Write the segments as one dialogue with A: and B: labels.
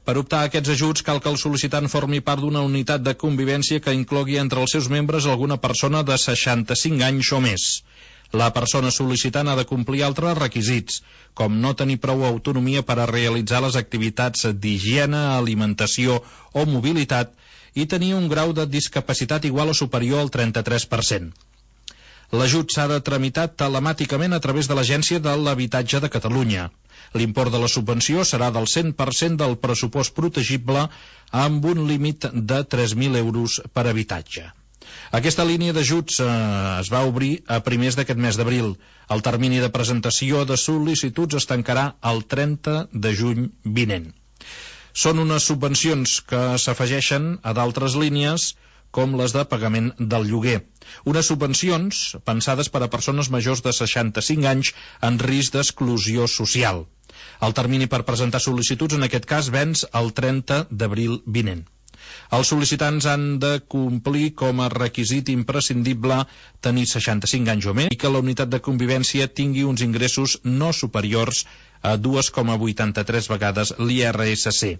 A: Per optar a aquests ajuts cal que el sol·licitant formi part d'una unitat de convivència que inclogui entre els seus membres alguna persona de 65 anys o més. La persona sol·licitant ha de complir altres requisits, com no tenir prou autonomia per a realitzar les activitats d'higiene, alimentació o mobilitat i tenir un grau de discapacitat igual o superior al 33%. L'ajut s'ha de tramitar telemàticament a través de l'Agència de l'Habitatge de Catalunya. L'import de la subvenció serà del 100% del pressupost protegible amb un límit de 3.000 euros per habitatge. Aquesta línia d'ajuts es va obrir a primers d'aquest mes d'abril. El termini de presentació de sol·licituds es tancarà el 30 de juny vinent. Són unes subvencions que s'afegeixen a d'altres línies com les de pagament del lloguer. Unes subvencions pensades per a persones majors de 65 anys en risc d'exclusió social. El termini per presentar sol·licituds en aquest cas venç el 30 d'abril vinent. Els sol·licitants han de complir com a requisit imprescindible tenir 65 anys o més i que la unitat de convivència tingui uns ingressos no superiors a 2,83 vegades l'IRSC.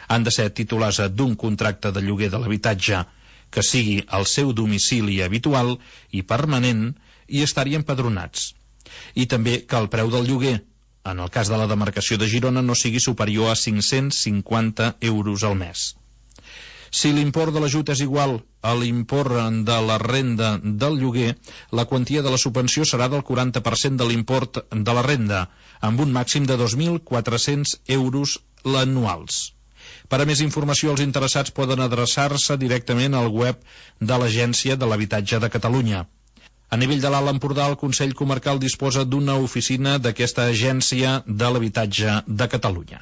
A: Han de ser titulars d'un contracte de lloguer de l'habitatge que sigui el seu domicili habitual i permanent i estar-hi empadronats. I també que el preu del lloguer, en el cas de la demarcació de Girona, no sigui superior a 550 euros al mes. Si l'import de l'ajut és igual a l'import de la renda del lloguer, la quantia de la subvenció serà del 40% de l'import de la renda, amb un màxim de 2.400 euros anuals. Per a més informació, els interessats poden adreçar-se directament al web de l'Agència de l'Habitatge de Catalunya. A nivell de l'Alt Empordà, el Consell Comarcal disposa d'una oficina d'aquesta Agència de l'Habitatge de Catalunya.